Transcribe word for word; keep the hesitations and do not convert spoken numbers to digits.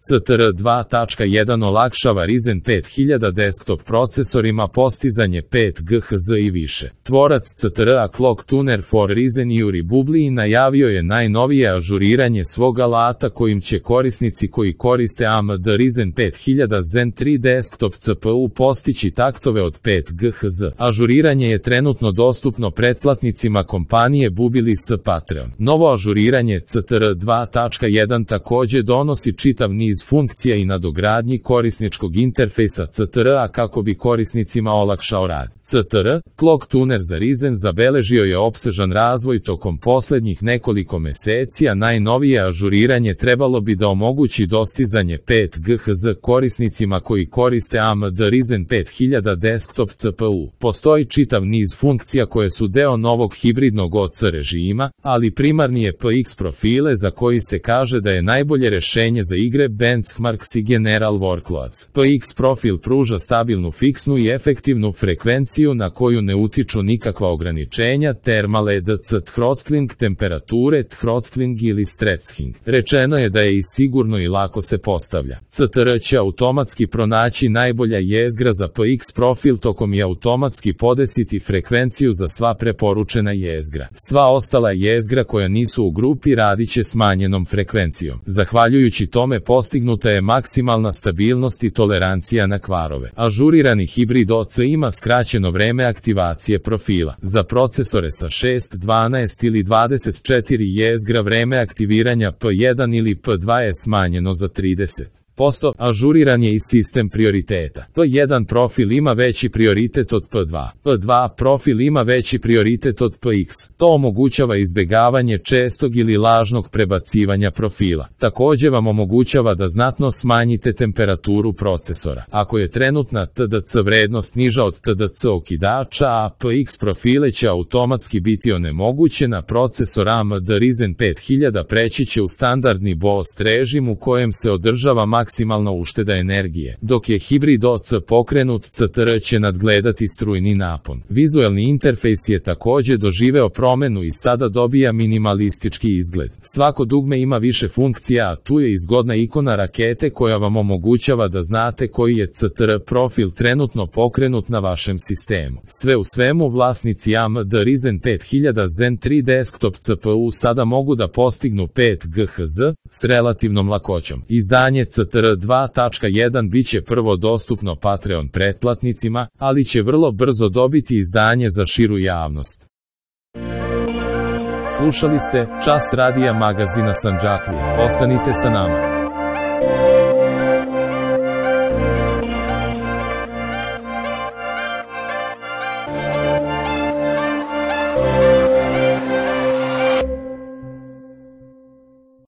C T R dva tačka jedan olakšava Ryzen pet hiljada desktop procesorima postizanje pet G H Z i više. Tvorac C T R A Clock Tuner for Ryzen Yuri Bubli najavio je najnovije ažuriranje svog alata kojim će korisnici koji koriste A M D Ryzen pet hiljada Zen tri desktop C P U postići taktove od pet G H Z. Ažuriranje je trenutno dostupno pretplatnicima kompanije Bubili s Patreon. Novo ažuriranje C T R dva tačka jedan također donosi čitav niz funkcija i nadogradnji korisničkog interfejsa C T R A kako bi korisnicima olakšao rad. C T R, Clock Tuner za Ryzen zabeležio je opsežan razvoj tokom posljednjih nekoliko meseci, a najnovije ažuriranje trebalo bi da omogući dostizanje pet G H Z korisnicima koji koriste A M D Ryzen pet hiljada desktop C P U. Postoji čitav niz funkcija koje su deo novog hibridnog O C režima, ali primarni je P X profile za koji se kaže da je najbolje rešenje za igre, benchmarks i general workloads. P X profil pruža stabilnu fiksnu i efektivnu frekvenciju na koju ne utiču nikakva ograničenja, thermal E D C throttling, temperature, throttling ili stressing. Rečeno je da je i sigurno i lako se postavlja. C T R će automatski pronaći najbolja jezgra za P X profil tokom i automatski podesiti frekvenciju za sva preporučena jezgra. Sva ostala jezgra koja nisu u grupi radit će smanjenom frekvencijom. Zahvaljujući tome postignuta je maksimalna stabilnost i tolerancija na kvarove. Ažurirani hibrid O C ima skraćeno vreme aktivacije profila. Za procesore sa šest, dvanaest ili dvadeset četiri jezgra vreme aktiviranja P jedan ili P dva je smanjeno za trideset posto. Ažuriran je i sistem prioriteta. P jedan profil ima veći prioritet od P dva. P dva profil ima veći prioritet od P X. To omogućava izbjegavanje čestog ili lažnog prebacivanja profila. Također vam omogućava da znatno smanjite temperaturu procesora. Ako je trenutna T D C vrednost niža od T D C okidača, a P X profile će automatski biti onemogućena, procesor A M D Ryzen pet hiljada preći će u standardni boost režim u kojem se održava maksimalna ušteda energije. Dok je hibrid O C pokrenut, C T R će nadgledati strujni napon. Vizualni interfejs je također doživeo promenu i sada dobija minimalistički izgled. Svako dugme ima više funkcija, a tu je i zgodna ikona rakete koja vam omogućava da znate koji je C T R profil trenutno pokrenut na vašem sistemu. Sve u svemu, vlasnici A M D Ryzen pet hiljada Zen tri desktop C P U sada mogu da postignu pet G H Z s relativnom lakoćom. Izdanje C T R dva tačka jedan biće prvo dostupno Patreon pretplatnicima, ali će vrlo brzo dobiti izdanje za širu javnost. Slušali ste Čas radija magazina Sandžaklija. Ostanite sa nama.